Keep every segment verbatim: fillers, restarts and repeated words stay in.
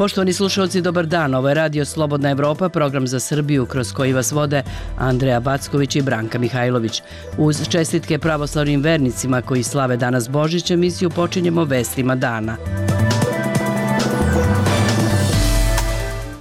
Poštovani slušalci, dobar dan. Ovo je Radio Slobodna Evropa, program za Srbiju kroz koji vas vode Andreja Backović i Branka Mihajlović. Uz čestitke pravoslavnim vernicima koji slave danas Božić, emisiju počinjemo vestima dana.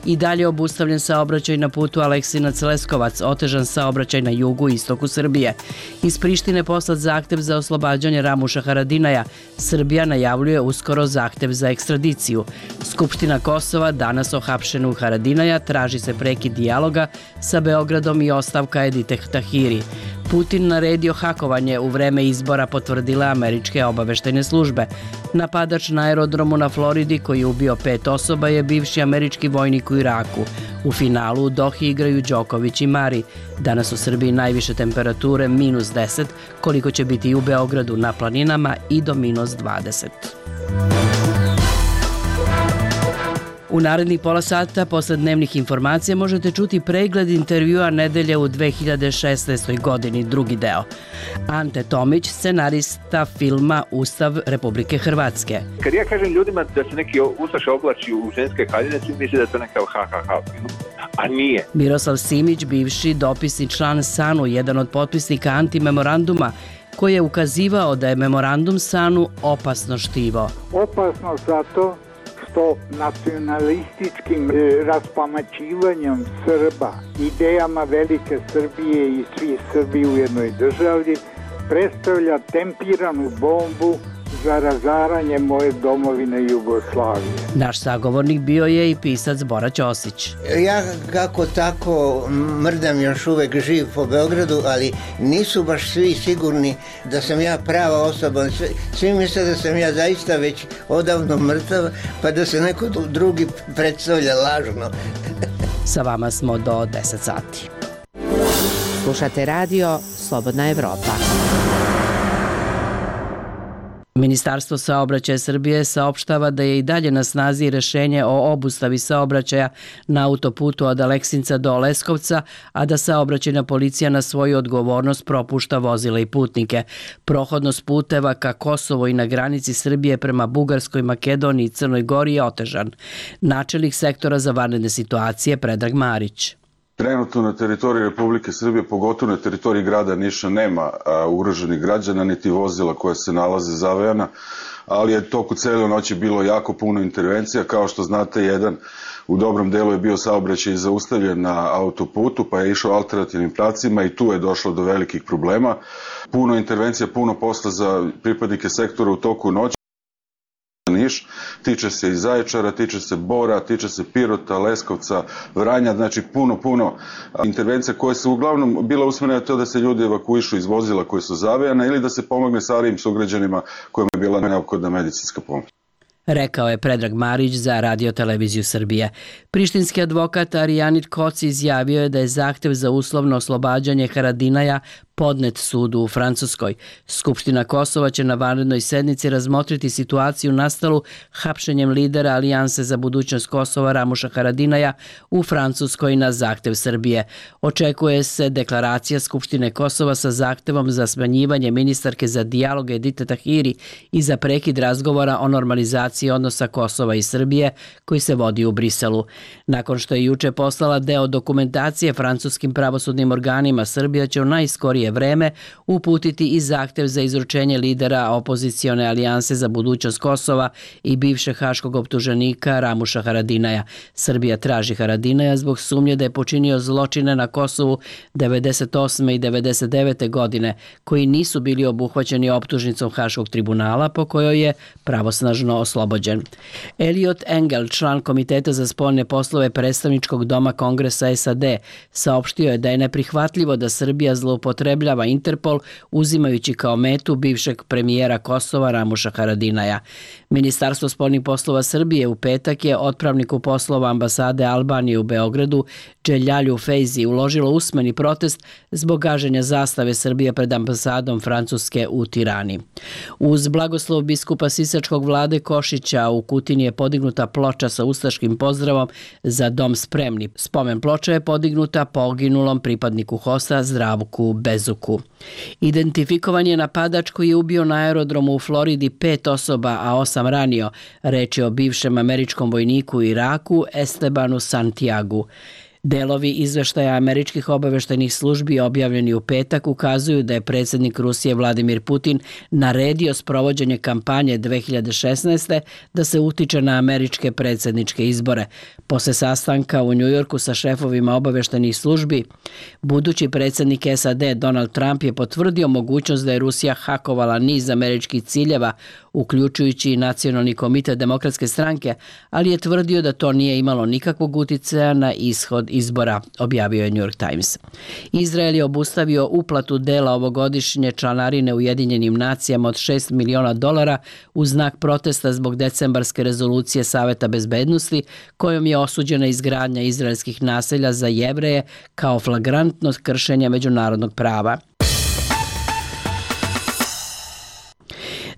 I dalje obustavljen saobraćaj na putu Aleksinac-Leskovac, otežan saobraćaj na jugu i istoku Srbije. Iz Prištine poslat zahtev za oslobađanje Ramuša Haradinaja. Srbija najavljuje uskoro zahtev za ekstradiciju. Skupština Kosova danas o hapšenju Haradinaja traži se prekid dijaloga sa Beogradom i ostavka Edite Tahiri. Putin naredio hakovanje u vreme izbora, potvrdile američke obaveštajne službe. Napadač na aerodromu na Floridi koji je ubio pet osoba je bivši američki vojnik u Iraku. U finalu u Dohi igraju Đoković i Mari. Danas u Srbiji najviše temperature minus deset, koliko će biti i u Beogradu na planinama i do minus dvadeset. U narednih pola sata posle dnevnih informacija možete čuti pregled intervjua nedelje u dve hiljade šesnaestoj. godini, drugi deo. Ante Tomić, scenarista filma Ustav Republike Hrvatske. Kad ja kažem ljudima da se neki ustaša oblači u ženske haljine, svi misle da je to neka ha ha ha film, a nije. Miroslav Simić, bivši dopisni član S A N U, jedan od potpisnika antimemoranduma, koji je ukazivao da je memorandum S A N U opasno štivo. Opasno zato što nacionalističkim raspamaćivanjem Srba, idejama velike Srbije i svi Srbi u jednoj državi predstavlja tempiranu bombu za razaranje moje domovine Jugoslavije. Naš sagovornik bio je i pisac Bora Ćosić. Ja kako tako mrdam još uvek živ po Beogradu, ali nisu baš svi sigurni da sam ja prava osoba. Svi misle da sam ja zaista već odavno mrtav, pa da se neko drugi predstavlja lažno. Sa vama smo do deset sati. Slušate radio Slobodna Evropa. Ministarstvo saobraćaja Srbije saopštava da je i dalje na snazi rešenje o obustavi saobraćaja na autoputu od Aleksinca do Leskovca, a da saobraćajna policija na svoju odgovornost propušta vozila i putnike. Prohodnost puteva ka Kosovo i na granici Srbije prema Bugarskoj, Makedoniji i Crnoj Gori je otežan. Načelnik sektora za vanredne situacije Predrag Marić. Trenutno na teritoriji Republike Srbije, pogotovo na teritoriji grada Niša, nema ugroženih građana niti vozila koja se nalaze zavejana, ali je toku cele noći bilo jako puno intervencija. Kao što znate, jedan u dobrom delu je bio saobraćaj zaustavljen na autoputu, pa je išao alternativnim pravcima i tu je došlo do velikih problema. Puno intervencija, puno posla za pripadnike sektora u toku noći. Niš, tiče se i Zaječara, tiče se Bora, tiče se Pirota, Leskovca, Vranja, znači puno, puno intervencija koje su uglavnom bila usmjerene na to da se ljudi evakuišu iz vozila koje su zavejane ili da se pomogne starijim sugrađanima kojima je bila neophodna medicinska pomoć. Rekao je Predrag Marić za Radio Televiziju Srbije. Prištinski advokat Arijanit Koci izjavio je da je zahtev za uslovno oslobađanje Haradinaja podnet sudu u Francuskoj. Skupština Kosova će na vanrednoj sednici razmotriti situaciju nastalu hapšenjem lidera Alijanse za budućnost Kosova Ramuša Haradinaja u Francuskoj na zahtev Srbije. Očekuje se deklaracija Skupštine Kosova sa zahtevom za smanjivanje ministarke za dijalog Edite Tahiri i za prekid razgovora o normalizaciji odnosa Kosova i Srbije koji se vodi u Briselu. Nakon što je juče poslala deo dokumentacije francuskim pravosudnim organima, Srbija će u najskorije vreme uputiti i zahtev za izručenje lidera opozicione alijanse za budućnost Kosova i bivšeg haškog optuženika Ramuša Haradinaja. Srbija traži Haradinaja zbog sumnje da je počinio zločine na Kosovu devedeset osme i devedeset devete. godine, koji nisu bili obuhvaćeni optužnicom Haškog tribunala po kojoj je pravosnažno oslobođen. Elliot Engel, član Komiteta za spoljne poslove predstavničkog doma Kongresa S A D, saopštio je da je neprihvatljivo da Srbija zloupotrebljava Interpol uzimajući kao metu bivšeg premijera Kosova Ramuša Haradinaja. Ministarstvo spoljnih poslova Srbije u petak je otpravniku poslova ambasade Albanije u Beogradu Dželjalju Fejzi uložilo usmeni protest zbog gaženja zastave Srbije pred ambasadom Francuske u Tirani. Uz blagoslov biskupa Sisačkog Vlade Košića u Kutini je podignuta ploča sa ustaškim pozdravom Za dom spremni. Spomen ploča je podignuta poginulom pripadniku H O S-a Zdravku Bezuku. Bezuku. Identifikovan je napadač koji je ubio na aerodromu u Floridi pet osoba, a osam ranio. Reč je o bivšem američkom vojniku u Iraku Estebanu Santiagu. Delovi izveštaja američkih obaveštajnih službi objavljeni u petak ukazuju da je predsjednik Rusije Vladimir Putin naredio sprovođenje kampanje dve hiljade šesnaeste. da se utiče na američke predsjedničke izbore. Posle sastanka u Njujorku sa šefovima obaveštajnih službi, budući predsjednik S A D Donald Trump je potvrdio mogućnost da je Rusija hakovala niz američkih ciljeva, uključujući i Nacionalni komitet Demokratske stranke, ali je tvrdio da to nije imalo nikakvog uticaja na ishod izbora, objavio je New York Times. Izrael je obustavio uplatu dela ovogodišnje članarine Ujedinjenim nacijama od šest miliona dolara u znak protesta zbog decembarske rezolucije Saveta bezbednosti, kojom je osuđena izgradnja izraelskih naselja za Jevreje kao flagrantno kršenje međunarodnog prava.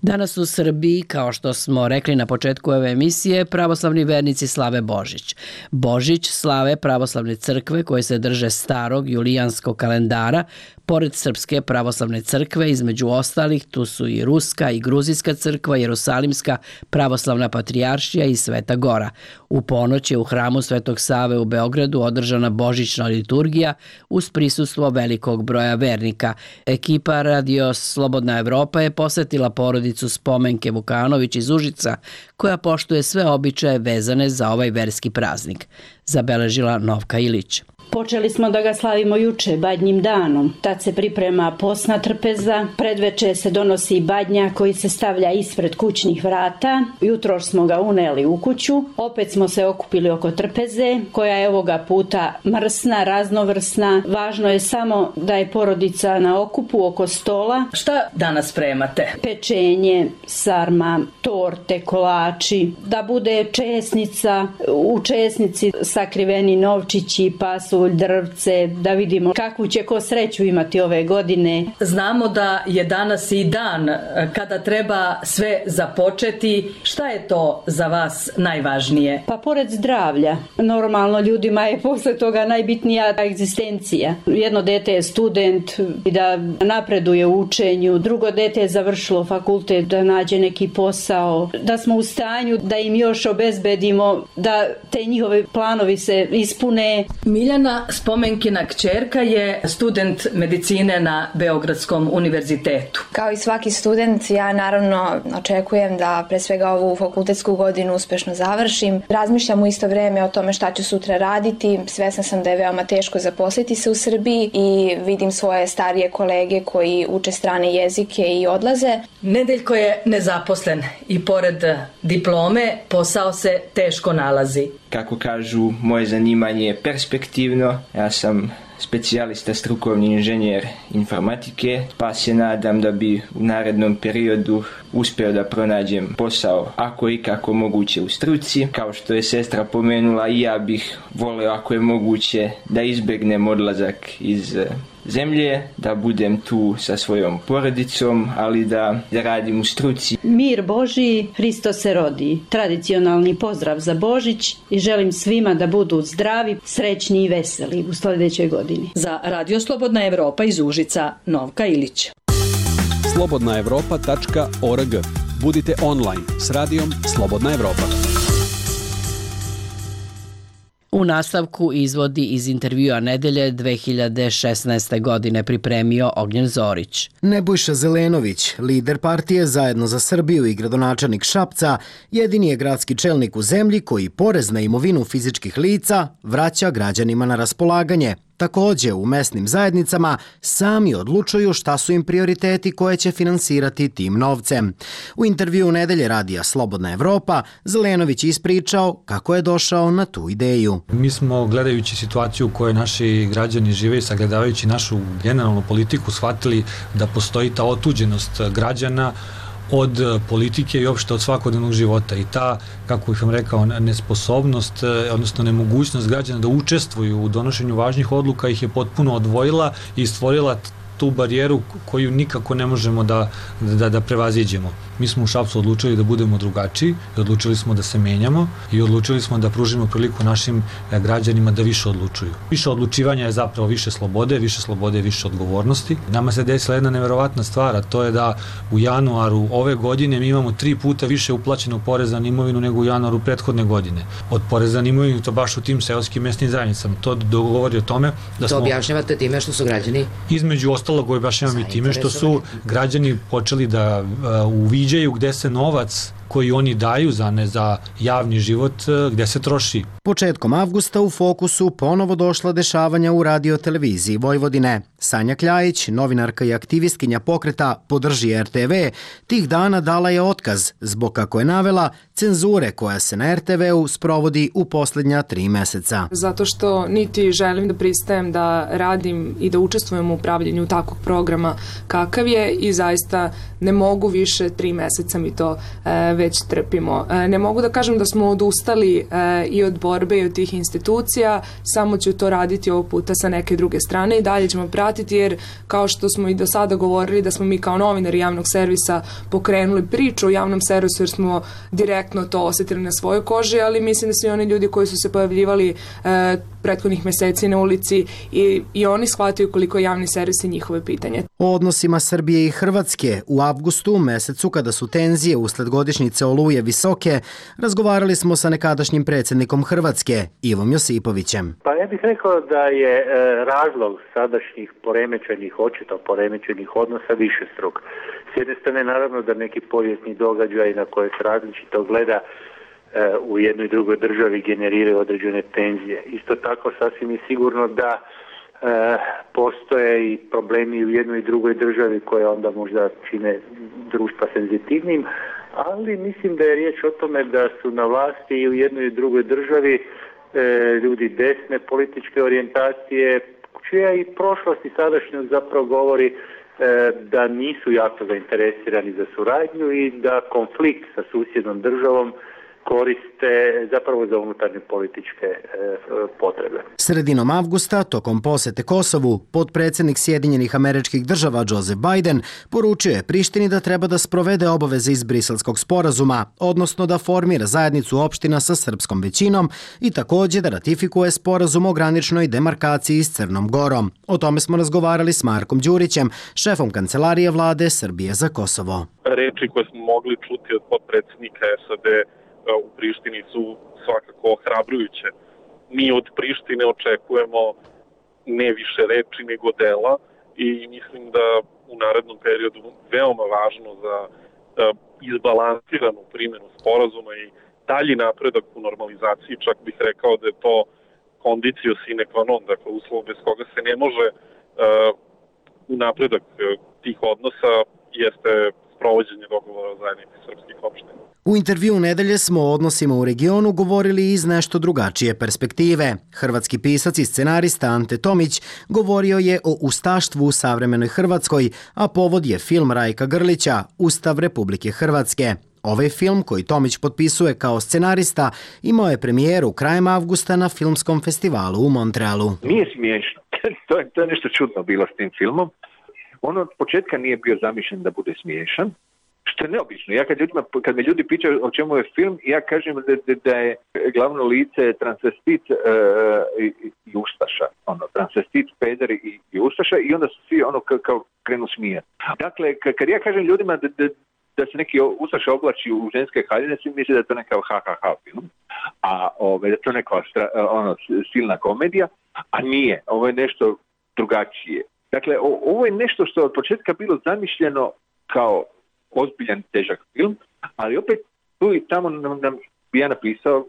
Danas u Srbiji, kao što smo rekli na početku ove emisije, pravoslavni vernici slave Božić. Božić slave pravoslavne crkve koje se drže starog julijanskog kalendara. Pored Srpske pravoslavne crkve, između ostalih, tu su i Ruska i Gruzijska crkva, Jerusalimska pravoslavna patrijaršija i Sveta Gora. U ponoć je u hramu Svetog Save u Beogradu održana božićna liturgija uz prisustvo velikog broja vernika. Ekipa Radio Slobodna Evropa je posetila porodicu Spomenke Vukanović iz Užica, koja poštuje sve običaje vezane za ovaj verski praznik, zabeležila Novka Ilić. Počeli smo da ga slavimo juče, badnjim danom. Tad se priprema posna trpeza, predveče se donosi badnja koji se stavlja ispred kućnih vrata. Jutroš smo ga uneli u kuću, opet smo se okupili oko trpeze, koja je ovoga puta mrsna, raznovrsna. Važno je samo da je porodica na okupu oko stola. Šta danas spremate? Pečenje, sarma, torte, kolači, da bude česnica, u česnici sakriveni novčići, pasulj, drvce, da vidimo kakvu će ko sreću imati ove godine. Znamo da je danas i dan kada treba sve započeti. Šta je to za vas najvažnije? Pa pored zdravlja, normalno ljudima je posle toga najbitnija egzistencija. Jedno dete je student i da napreduje u učenju, drugo dete je završilo fakultet, da nađe neki posao, da smo u stanju da im još obezbedimo da te njihove planovi se ispune. Miljana, Spomenkina kćerka, je student medicine na Beogradskom univerzitetu. Kao i svaki student, ja naravno očekujem da pre svega ovu fakultetsku godinu uspešno završim. Razmišljam u isto vreme o tome šta ću sutra raditi. Svesna sam da je veoma teško zaposliti se u Srbiji i vidim svoje starije kolege koji uče strane jezike i odlaze. Nedeljko je nezaposlen i pored diplome posao se teško nalazi. Kako kažu, moje zanimanje je perspektivno. Ja sam specijalista strukovni inženjer informatike, pa se nadam da bi u narednom periodu uspeo da pronađem posao ako i kako moguće u struci. Kao što je sestra pomenula, i ja bih voleo ako je moguće da izbegnem odlazak iz zemlje, da budem tu sa svojom porodicom, ali da, da radim u struci. Mir Božiji, Hristos se rodi. Tradicionalni pozdrav za Božić i želim svima da budu zdravi, srećni i veseli u sljedećoj godini. Za Radio Slobodna Evropa iz Užica, Novka Ilić. slobodna evropa tačka org. Budite online s radijom Slobodna Evropa. U nastavku izvodi iz intervjua nedelje dve hiljade šesnaeste. godine pripremio Ognjen Zorić. Nebojša Zelenović, lider partije Zajedno za Srbiju i gradonačelnik Šapca, jedini je gradski čelnik u zemlji koji porez na imovinu fizičkih lica vraća građanima na raspolaganje. Takođe, u mesnim zajednicama sami odlučuju šta su im prioriteti koje će finansirati tim novcem. U intervju nedelje radija Slobodna Evropa, Zelenović ispričao kako je došao na tu ideju. Mi smo, gledajući situaciju u kojoj naši građani žive i sagledavajući našu generalnu politiku, shvatili da postoji ta otuđenost građana od politike i uopšte od svakodnevnog života. I ta, kako bih vam rekao, nesposobnost, odnosno nemogućnost građana da učestvuju u donošenju važnih odluka ih je potpuno odvojila i stvorila tu barijeru koju nikako ne možemo da, da, da prevaziđemo. Mi smo u Šapcu odlučili da budemo drugačiji i odlučili smo da se menjamo i odlučili smo da pružimo priliku našim građanima da više odlučuju. Više odlučivanja je zapravo više slobode, više slobode je više odgovornosti. Nama se desila jedna neverovatna stvar, a to je da u januaru ove godine mi imamo tri puta više uplaćenog poreza na imovinu nego u januaru prethodne godine. Od poreza na imovinu to baš u tim seoskim mesnim zajednicama. To dogovori o tome da smo... To objašnjavate time što su građani... Između ostalog objašnjavam i time što su građani počeli da uh, uviđaju gde se novac koji oni daju za ne za javni život, gde se troši. Početkom avgusta u fokusu ponovo došla dešavanja u radio-televiziji Vojvodine. Sanja Kljajić, novinarka i aktivistkinja pokreta Podrži er te ve, tih dana dala je otkaz zbog, kako je navela, cenzure koja se na er te veu sprovodi u posljednja tri meseca. Zato što niti želim da pristajem da radim i da učestvujem u upravljanju takvog programa kakav je i zaista ne mogu više, tri meseca mi to e, već trpimo. E, ne mogu da kažem da smo odustali e, i od borbe i od tih institucija, samo ću to raditi ovog puta sa neke druge strane i dalje ćemo pratiti jer kao što smo i do sada govorili da smo mi kao novinari javnog servisa pokrenuli priču o javnom servisu jer smo direktno to osetili na svojoj koži, ali mislim da svi oni ljudi koji su se pojavljivali e, prethodnih meseci na ulici i, i oni shvataju koliko je javni servis i njihove pitanje. O odnosima Srbije i Hrvatske u avgustu, mesecu kada su tenzije usled godišnjice Oluje visoke, razgovarali smo sa nekadašnjim predsjednikom Hrvatske, Ivom Josipovićem. Pa ja bih rekao da je e, razlog sadašnjih poremećenih, očito poremećenih odnosa višestruk. S jedne strane naravno da neki povijesni događaj na koje se različito gleda u jednoj i drugoj državi generiraju određene tenzije. Isto tako sasvim je sigurno da e, postoje i problemi u jednoj i drugoj državi koje onda možda čine društva senzitivnim, ali mislim da je riječ o tome da su na vlasti i u jednoj i drugoj državi e, ljudi desne političke orijentacije, čija i prošlost i sadašnjost zapravo govori e, da nisu jako zainteresirani za suradnju i da konflikt sa susjednom državom koriste zapravo za unutarnje političke e, potrebe. Sredinom avgusta, tokom posete Kosovu, potpredsjednik Sjedinjenih Američkih Država Joseph Biden poručio je Prištini da treba da sprovede obaveze iz Briselskog sporazuma, odnosno da formira zajednicu opština sa srpskom većinom i također da ratifikuje sporazum o graničnoj demarkaciji s Crnom Gorom. O tome smo razgovarali s Markom Đurićem, šefom kancelarije vlade Srbije za Kosovo. Reči koje smo mogli čuti od potpredsjednika es a de u Prištini su svakako ohrabrujuće. Mi od Prištine očekujemo ne više reči nego dela i mislim da u narednom periodu veoma važno za izbalansiranu primjenu sporazuma i dalji napredak u normalizaciji, čak bih rekao da je to condicio sine qua non, dakle uslov bez koga se ne može uh, napredak tih odnosa jeste sprovođenje dogovora o zajednici srpskih opština. U intervju nedelje smo o odnosima u regionu govorili iz nešto drugačije perspektive. Hrvatski pisac i scenarista Ante Tomić govorio je o ustaštvu u savremenoj Hrvatskoj, a povod je film Rajka Grlića Ustav Republike Hrvatske. Ovaj film, koji Tomić potpisuje kao scenarista, imao je premijeru krajem avgusta na filmskom festivalu u Montrealu. Nije smiješno. to, je, to je nešto čudno bilo s tim filmom. On od početka nije bio zamišljen da bude smiješan, što je neobično. Ja kad, ljudima, kad me ljudi pitaju o čemu je film, ja kažem da, da, da je glavno lice transvestit uh, i, i ustaša. Ono, transvestit, peder i, i ustaša i onda su svi ono kao, kao krenu smijati. Dakle, kad ja kažem ljudima da, da, da se neki ustaša oblači u ženske haljine, svi misle da je to neka ha ha ha film, a ove, da je to neka stra, ono, silna komedija, a nije. Ovo je nešto drugačije. Dakle, o, ovo je nešto što je od početka bilo zamišljeno kao ozbiljan, težak film, ali opet tu i tamo nam, nam bi ja napisao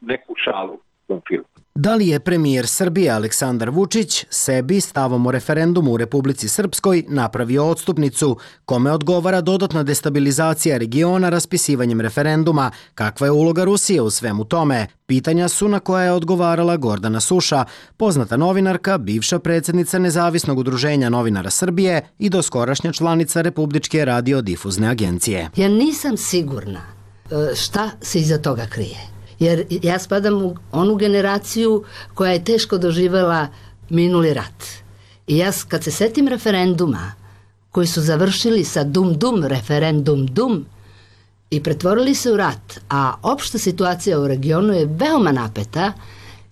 neku šalu u tom filmu. Da li je premijer Srbije Aleksandar Vučić sebi stavom o referendumu u Republici Srpskoj napravio odstupnicu, kome odgovara dodatna destabilizacija regiona raspisivanjem referenduma, kakva je uloga Rusije u svemu tome? Pitanja su na koja je odgovarala Gordana Suša, poznata novinarka, bivša predsjednica Nezavisnog udruženja novinara Srbije i doskorašnja članica Republičke radiodifuzne agencije. Ja nisam sigurna šta se iza toga krije. Jer ja spadam u onu generaciju koja je teško doživjela minuli rat. I ja kad se setim referenduma koji su završili sa dum-dum, referendum-dum i pretvorili se u rat, a opšta situacija u regionu je veoma napeta,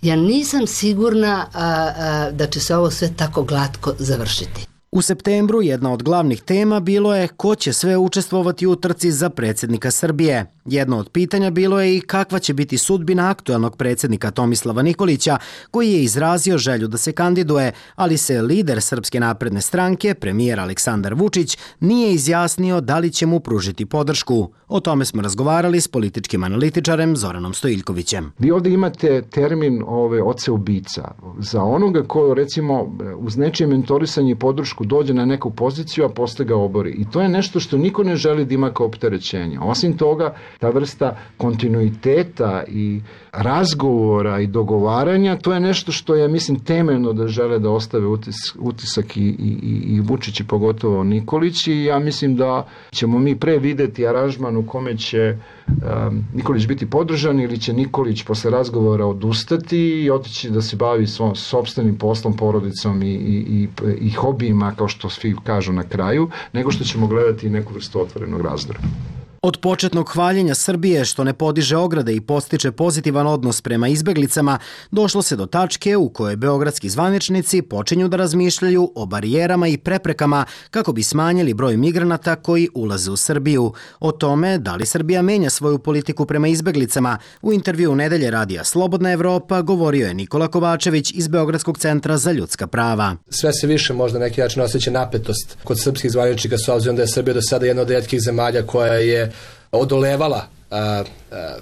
ja nisam sigurna a, a, da će se ovo sve tako glatko završiti. U septembru jedna od glavnih tema bilo je ko će sve učestvovati u trci za predsjednika Srbije. Jedno od pitanja bilo je i kakva će biti sudbina aktuelnog predsjednika Tomislava Nikolića, koji je izrazio želju da se kandiduje, ali se lider Srpske napredne stranke, premijer Aleksandar Vučić, nije izjasnio da li će mu pružiti podršku. O tome smo razgovarali s političkim analitičarem Zoranom Stojiljkovićem. Vi ovdje imate termin ove oce ubica. Za onoga ko, recimo, uz nečije mentorisanje i podršku dođe na neku poziciju, a posle ga obori. I to je nešto što niko ne želi da ima kao opterećenje. Osim toga, ta vrsta kontinuiteta i razgovora i dogovaranja, to je nešto što je, mislim, temeljno da žele da ostave utis, utisak i, i, i Vučić i pogotovo Nikolić, i ja mislim da ćemo mi pre videti aranžman u kome će um, Nikolić biti podržan ili će Nikolić posle razgovora odustati i otići da se bavi svom sopstvenim poslom, porodicom i, i, i, i hobijima, kao što svi kažu na kraju, nego što ćemo gledati neku vrstu otvorenog razdora. Od početnog hvaljenja Srbije što ne podiže ograde i postiče pozitivan odnos prema izbeglicama, došlo se do tačke u kojoj beogradski zvaničnici počinju da razmišljaju o barijerama i preprekama kako bi smanjili broj migranata koji ulaze u Srbiju. O tome da li Srbija menja svoju politiku prema izbeglicama, u intervju Nedelje radija Slobodna Evropa govorio je Nikola Kovačević iz Beogradskog centra za ljudska prava. Sve se više možda neki način osjeća napetost kod srpskih zvaničnika, s obzirom da je Srbija do sada jedna od retkih zemalja koja je odolevala a, a,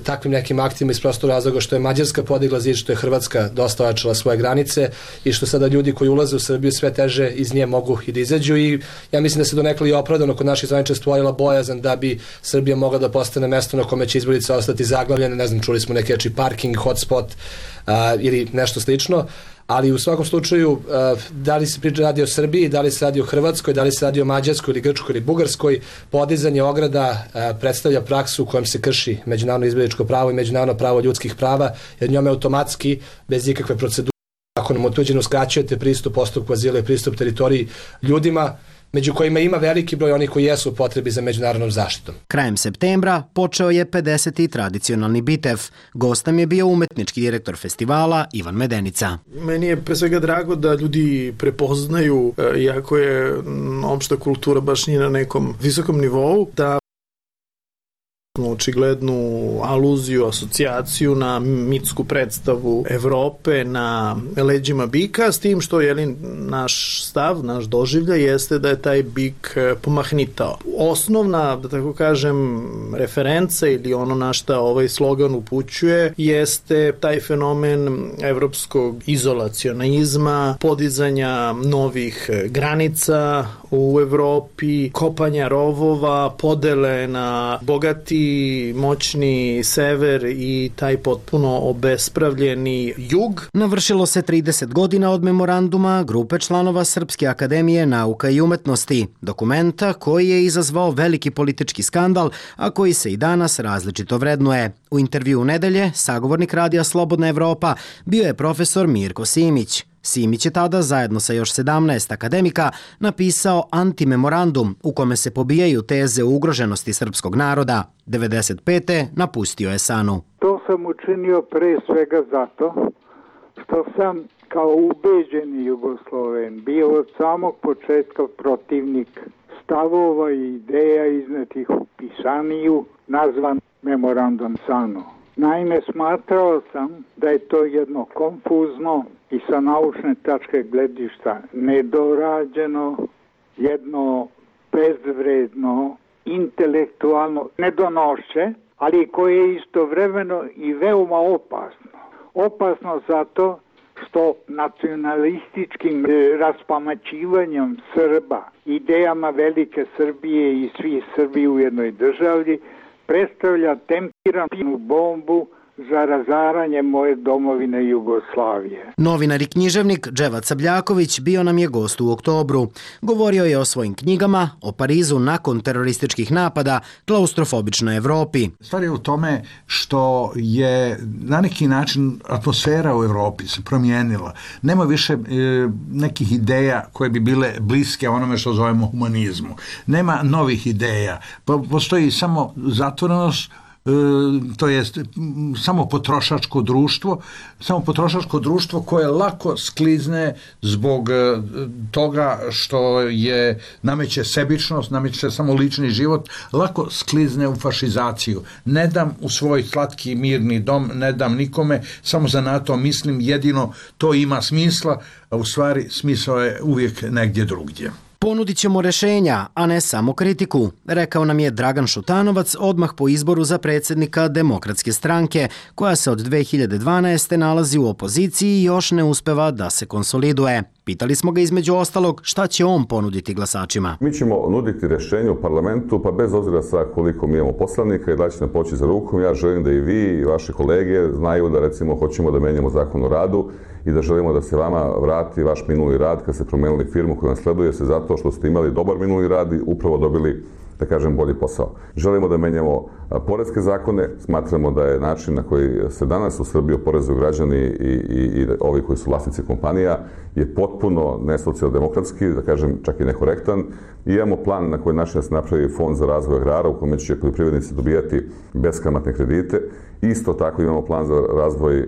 takvim nekim aktima iz prostog razloga što je Mađarska podigla zid, što je Hrvatska dosta ojačala svoje granice i što sada ljudi koji ulaze u Srbiju sve teže iz nje mogu i da izađu, i ja mislim da se donekle i opravdano kod naših zvaničnika stvorila bojazan da bi Srbija mogla da postane mesto na kome će izbjeglice ostati zaglavljene, ne znam, čuli smo neki reči parking, hotspot a, ili nešto slično. Ali u svakom slučaju, da li se radi o Srbiji, da li se radi o Hrvatskoj, da li se radi o Mađarskoj ili Grčkoj ili Bugarskoj, podizanje ograda predstavlja praksu u kojem se krši međunarodno izbjegličko pravo i međunarodno pravo ljudskih prava, jer njome automatski, bez ikakve procedure, zakonom utvrđeno uskraćujete pristup postupku azila i pristup teritoriji ljudima, među kojima ima veliki broj onih koji jesu u potrebi za međunarodnom zaštitom. Krajem septembra počeo je pedeseti tradicionalni bitev. Gostom je bio umetnički direktor festivala Ivan Medenica. Meni je pre svega drago da ljudi prepoznaju, iako je opšta kultura baš nije na nekom visokom nivou, da očiglednu aluziju, asocijaciju na mitsku predstavu Evrope na leđima bika, s tim što je naš stav, naš doživljaj jeste da je taj bik pomahnitao. Osnovna, da tako kažem, referenca ili ono na šta ovaj slogan upućuje jeste taj fenomen evropskog izolacionizma, podizanja novih granica u Evropi, kopanja rovova, podele na bogati, moćni sever i taj potpuno obespravljeni jug. Navršilo se trideset godina od memoranduma grupe članova Srpske akademije nauka i umetnosti, dokumenta koji je izazvao veliki politički skandal, a koji se i danas različito vrednuje. U intervju Nedelje, sagovornik radija Slobodna Evropa bio je profesor Mirko Simić. Simić je tada zajedno sa još sedamnaest akademika napisao antimemorandum u kome se pobijaju teze o ugroženosti srpskog naroda. devedeset pete napustio je Sanu. To sam učinio pre svega zato što sam kao ubeđeni Jugosloven bio od samog početka protivnik stavova i ideja iznetih u pisaniju nazvan memorandum Sanu. Naime, smatrao sam da je to jedno konfuzno i sa naučne tačke gledišta nedorađeno, jedno bezvredno, intelektualno nedonošće, ali koje je istovremeno i veoma opasno. Opasno zato što nacionalističkim raspamaćivanjem Srba, idejama velike Srbije i svi Srbi u jednoj državi, predstavlja tempiranu bombu za razaranje moje domovine Jugoslavije. Novinar i književnik Dževad Sabljaković bio nam je gost u oktobru. Govorio je o svojim knjigama, o Parizu nakon terorističkih napada, klaustrofobičnoj Evropi. Stvar je u tome što je na neki način atmosfera u Evropi se promijenila. Nema više e, nekih ideja koje bi bile bliske onome što zovemo humanizmu. Nema novih ideja. Postoji samo zatvorenost, to jest samo potrošačko društvo, samo potrošačko društvo koje lako sklizne zbog toga što je nameće sebičnost, nameće samo lični život, lako sklizne u fašizaciju. Ne dam u svoj slatki mirni dom, ne dam nikome, samo za NATO mislim jedino to ima smisla, a u stvari smisao je uvijek negdje drugdje. Ponudit ćemo rešenja, a ne samo kritiku, rekao nam je Dragan Šutanovac odmah po izboru za predsjednika Demokratske stranke, koja se od dve hiljade dvanaeste. nalazi u opoziciji i još ne uspeva da se konsoliduje. Pitali smo ga između ostalog šta će on ponuditi glasačima. Mi ćemo nuditi rješenje u parlamentu, pa bez obzira sa koliko mi imamo poslanika i da će nam poći za rukom, ja želim da i vi i vaše kolege znaju da recimo hoćemo da menjamo zakon o radu i da želimo da se vama vrati vaš minuli rad kad ste promenili firmu koju vam sleduje se zato što ste imali dobar minuli rad i upravo dobili, da kažem, bolji posao. Želimo da menjamo poreske zakone, smatramo da je način na koji se danas u Srbiji oporezuju građani i, i, i ovi koji su vlasnici kompanija je potpuno nesocijaldemokratski, da kažem čak i nekorektan. I imamo plan na koji način da se napravi fond za razvoj agrara u kome će poljoprivrednici dobijati beskamatne kredite. Isto tako imamo plan za razvoj uh,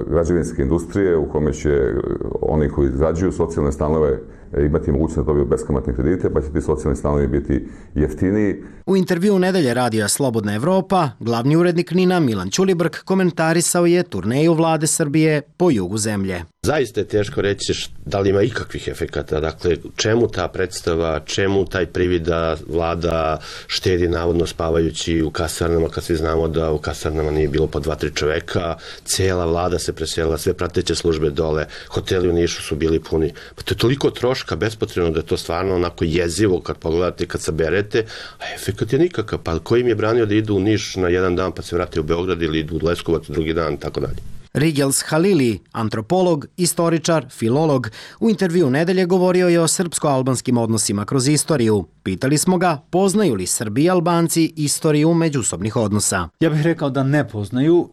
građevinske industrije u kome će oni koji izgrađuju socijalne stanove imati mogućnost da dobiju beskamatne kredite, pa će ti socijalni stanovi biti jeftiniji. U intervju Nedelje radija Slobodna Evropa, glavni urednik Nina Milan Ćulibrk komentarisao je turneju vlade Srbije po jugu zemlje. Zaista je teško reći da li ima ikakvih efekata. Dakle, čemu ta predstava, čemu taj privid da vlada štedi navodno spavajući u kasarnama, kad svi znamo da u kasarnama nije bilo po dva, tri čoveka, cijela vlada se preselila, sve prateće službe dole, hoteli u Nišu su bili puni. Pa to je toliko troška bespotrebno da je to stvarno onako jezivo kad pogledate, kad saberete, a efekat je nikakav. Pa ko im je branio da idu u Niš na jedan dan pa se vrate u Beograd ili idu u Leskovac drugi dan, tako dalje. Rigels Halili, antropolog, istoričar, filolog, u intervju Nedelje govorio je o srpsko-albanskim odnosima kroz istoriju. Pitali smo ga poznaju li Srbi i Albanci istoriju međusobnih odnosa. Ja bih rekao da ne poznaju,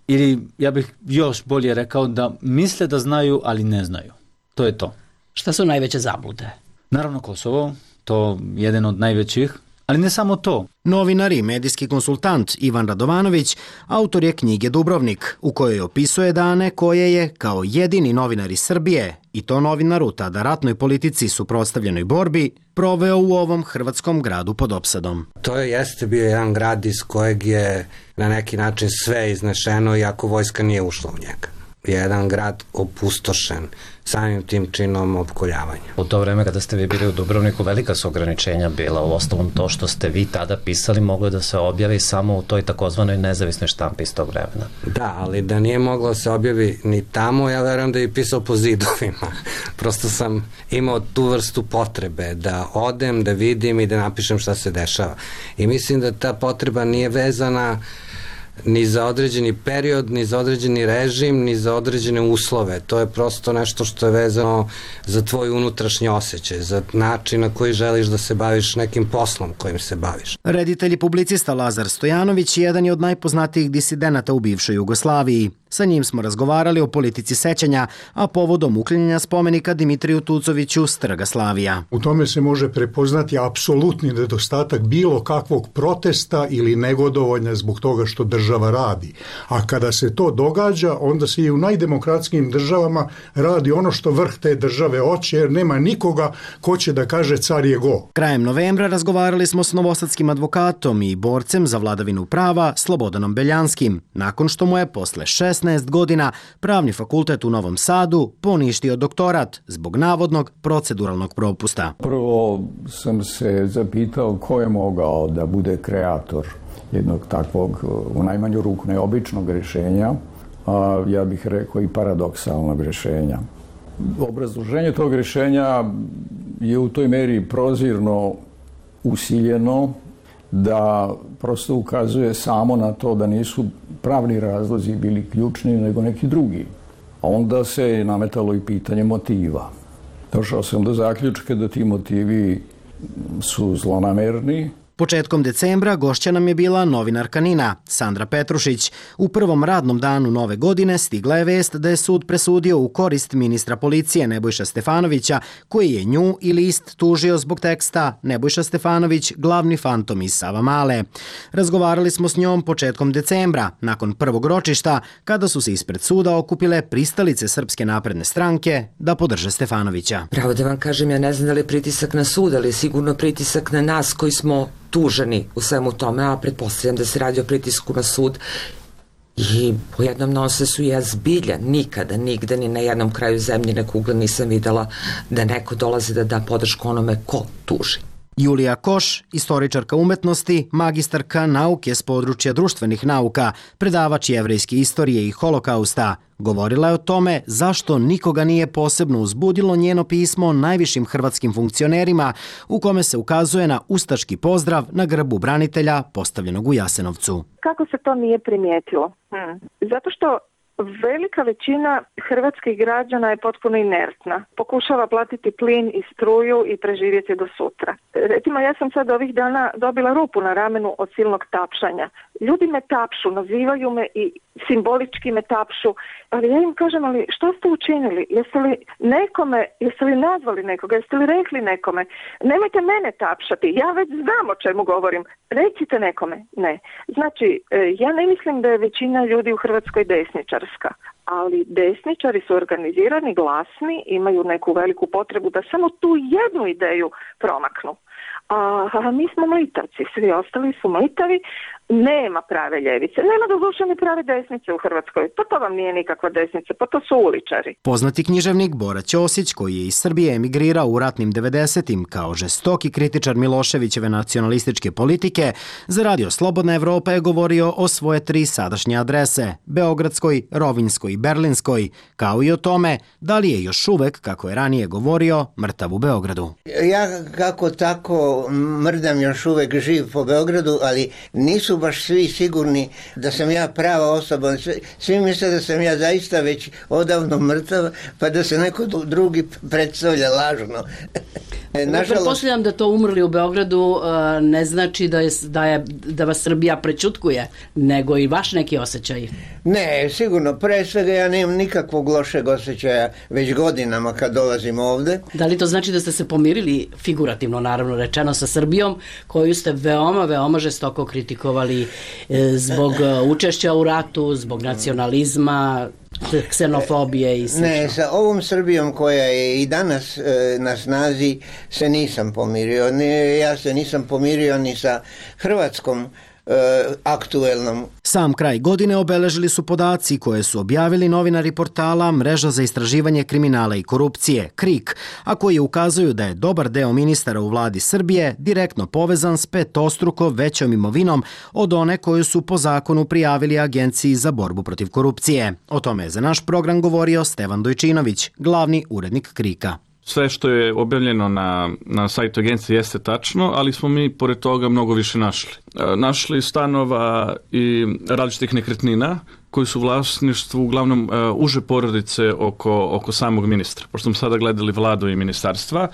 ili ja bih još bolje rekao da misle da znaju, ali ne znaju. To je to. Šta su najveće zablude? Naravno Kosovo, to je jedan od najvećih. Ali ne samo to. Novinar i medijski konsultant Ivan Radovanović autor je knjige Dubrovnik, u kojoj opisuje dane koje je, kao jedini novinar iz Srbije, i to novinar u tada ratnoj politici suprotstavljenoj borbi, proveo u ovom hrvatskom gradu pod opsadom. To je jeste bio jedan grad iz kojeg je na neki način sve iznešeno, iako vojska nije ušla u njega. Jedan grad opustošen samim tim činom opkoljavanja. U to vreme kada ste vi bili u Dubrovniku, velika su ograničenja bila. U ostalom to što ste vi tada pisali moglo da se objavi samo u toj takozvanoj nezavisnoj štampi iz tog vremena. Da, ali da nije moglo se objavi ni tamo, ja verujem da je pisao po zidovima. Prosto sam imao tu vrstu potrebe da odem, da vidim i da napišem šta se dešava. I mislim da ta potreba nije vezana ni za određeni period, ni za određeni režim, ni za određene uslove. To je prosto nešto što je vezano za tvoj unutrašnji osjećaj, za način na koji želiš da se baviš nekim poslom kojim se baviš. Reditelj i publicista Lazar Stojanović jedan je od najpoznatijih disidenata u bivšoj Jugoslaviji. Sa njim smo razgovarali o politici sećanja, a povodom uklanjanja spomenika Dimitriju Tucoviću s Trga Slavija. U tome se može prepoznati apsolutni nedostatak bilo kakvog protesta ili negodovanja zbog toga što država radi. A kada se to događa, onda se i u najdemokratskijim državama radi ono što vrh te države hoće, jer nema nikoga ko će da kaže car je go. Krajem novembra razgovarali smo s novosadskim advokatom i borcem za vladavinu prava Slobodanom Beljanskim, nakon što mu je posle šesnaest godina Pravni fakultet u Novom Sadu poništio doktorat zbog navodnog proceduralnog propusta. Prvo sam se zapitao ko je mogao da bude kreator jednog takvog, u najmanju ruku neobičnog rješenja, a ja bih rekao i paradoksalnog rješenja. Obrazloženje tog rješenja je u toj meri prozirno usiljeno da prosto ukazuje samo na to da nisu pravni razlozi bili ključni, nego neki drugi. A onda se nametalo i pitanje motiva. Došao sam do zaključka da ti motivi su zlonamerni. Početkom decembra gošća nam je bila novinarka Nina, Sandra Petrušić. U prvom radnom danu nove godine stigla je vest da je sud presudio u korist ministra policije Nebojša Stefanovića, koji je nju i list tužio zbog teksta Nebojša Stefanović, glavni fantom iz Savamale. Razgovarali smo s njom početkom decembra, nakon prvog ročišta, kada su se ispred suda okupile pristalice Srpske napredne stranke da podrže Stefanovića. Pravo da vam kažem, ja ne znam da li je pritisak na sud, ali je sigurno pritisak na nas koji smo tuženi u svemu tome, a pretpostavljam da se radi o pritisku na sud. I u jednom nonsensu ja zbilja nikada, nigde, ni na jednom kraju zemljine kugle nisam videla da neko dolazi da da podršku onome ko tuži. Julija Koš, istoričarka umetnosti, magistarka nauke s područja društvenih nauka, predavač jevrejske istorije i holokausta, govorila je o tome zašto nikoga nije posebno uzbudilo njeno pismo najvišim hrvatskim funkcionerima u kome se ukazuje na ustaški pozdrav na grbu branitelja postavljenog u Jasenovcu. Kako se to nije primijetilo? Hmm. Zato što velika većina hrvatskih građana je potpuno inertna. Pokušava platiti plin i struju i preživjeti do sutra. Recimo, ja sam sad ovih dana dobila rupu na ramenu od silnog tapšanja. Ljudi me tapšu, nazivaju me i simbolički me tapšu, ali ja im kažem, ali što ste učinili? Jeste li nekome, jeste li nazvali nekoga, jeste li rekli nekome? Nemojte mene tapšati, ja već znam o čemu govorim. Recite nekome. Ne. Znači, ja ne mislim da je većina ljudi u Hrvatskoj desničarska, ali desničari su organizirani, glasni, imaju neku veliku potrebu da samo tu jednu ideju promaknu. A, a mi smo mlitavci, svi ostali su mlitavi, nema prave ljevice, nema doduše ni prave desnice u Hrvatskoj, pa to vam nije nikakva desnica, pa to su uličari. Poznati književnik Bora Ćosić, koji je iz Srbije emigrirao u ratnim devedesetim kao žestoki kritičar Miloševićeve nacionalističke politike, za Radio Slobodna Evropa je govorio o svoje tri sadašnje adrese, Beogradskoj, Rovinjskoj i Berlinskoj, kao i o tome da li je još uvek, kako je ranije govorio, mrtav u Beogradu. Ja kako tako mrdam još uvek živ po Beogradu, ali nisu baš svi sigurni da sam ja prava osoba. Svi, svi misle da sam ja zaista već odavno mrtav, pa da se neko drugi predstavlja lažno. Nažalost, pretpostavljam da to umrli u Beogradu ne znači da, je, da, je, da vas Srbija prećutkuje, nego i vaš neki osjećaj. Ne, sigurno. Pre svega ja nemam nikakvog lošeg osjećaja već godinama kad dolazim ovde. Da li to znači da ste se pomirili, figurativno naravno rečeno, sa Srbijom, koju ste veoma, veoma žestoko kritikovali zbog učešća u ratu, zbog nacionalizma, ksenofobije i sl. Ne, sa ovom Srbijom koja je i danas e, na snazi se nisam pomirio. Ne, ja se nisam pomirio ni sa Hrvatskom aktuelnom. Sam kraj godine obeležili su podaci koje su objavili novinari portala Mreža za istraživanje kriminala i korupcije, KRIK, a koji ukazuju da je dobar deo ministara u vladi Srbije direktno povezan s petostruko većom imovinom od one koju su po zakonu prijavili Agenciji za borbu protiv korupcije. O tome je za naš program govorio Stevan Dojčinović, glavni urednik KRIK-a. Sve što je objavljeno na, na sajtu agencije jeste tačno, ali smo mi pored toga mnogo više našli. E, našli stanova i različitih nekretnina koji su u vlasništvu uglavnom e, uže porodice oko, oko samog ministra, pošto smo sada gledali vladu i ministarstva.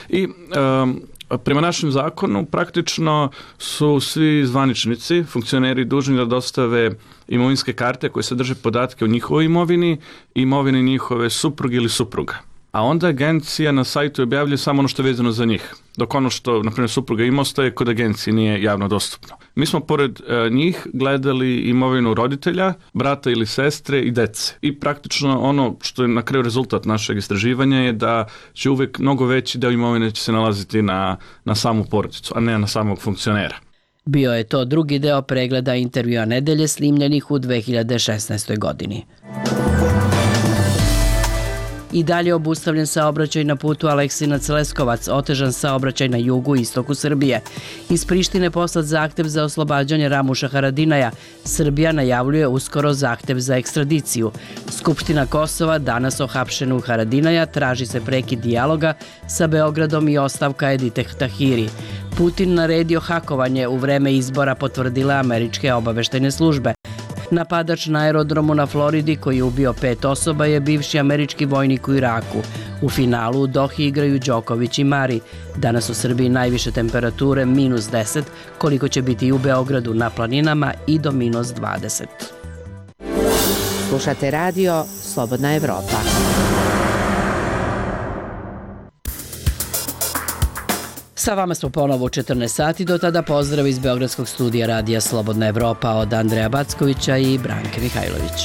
I e, prema našem zakonu praktično su svi zvaničnici, funkcioneri dužni da dostave imovinske karte koje sadrže podatke o njihovoj imovini i imovini njihove supruge ili supruga. A onda agencija na sajtu objavljuje samo ono što je vezano za njih, dok ono što, na primjer, supruga ima ostaje kod agencije, nije javno dostupno. Mi smo pored e, njih gledali imovinu roditelja, brata ili sestre i dece. I praktično ono što je na kraju rezultat našeg istraživanja je da će uvek mnogo veći deo imovine će se nalaziti na, na samu porodicu, a ne na samog funkcionera. Bio je to drugi deo pregleda intervjua nedelje snimljenih u dve hiljade šesnaestoj godini. I dalje obustavljen saobraćaj na putu Aleksinac-Leskovac, otežan saobraćaj na jugu i istoku Srbije. Iz Prištine poslat zahtev za oslobađanje Ramuša Haradinaja. Srbija najavljuje uskoro zahtev za ekstradiciju. Skupština Kosova danas o hapšenu Haradinaja traži se prekid dijaloga sa Beogradom i ostavka Edite Tahiri. Putin naredio hakovanje u vreme izbora, potvrdile američke obaveštajne službe. Napadač na aerodromu na Floridi koji je ubio pet osoba je bivši američki vojnik u Iraku. U finalu u Dohi igraju Đoković i Mari. Danas u Srbiji najviše temperature minus deset, koliko će biti i u Beogradu, na planinama i do minus dvadeset. Slušate radio Slobodna Evropa. Sa vama smo ponovo u četrnaest sati, do tada pozdrav iz Beogradskog studija radija Slobodna Evropa od Andreja Backovića i Branke Mihajlović.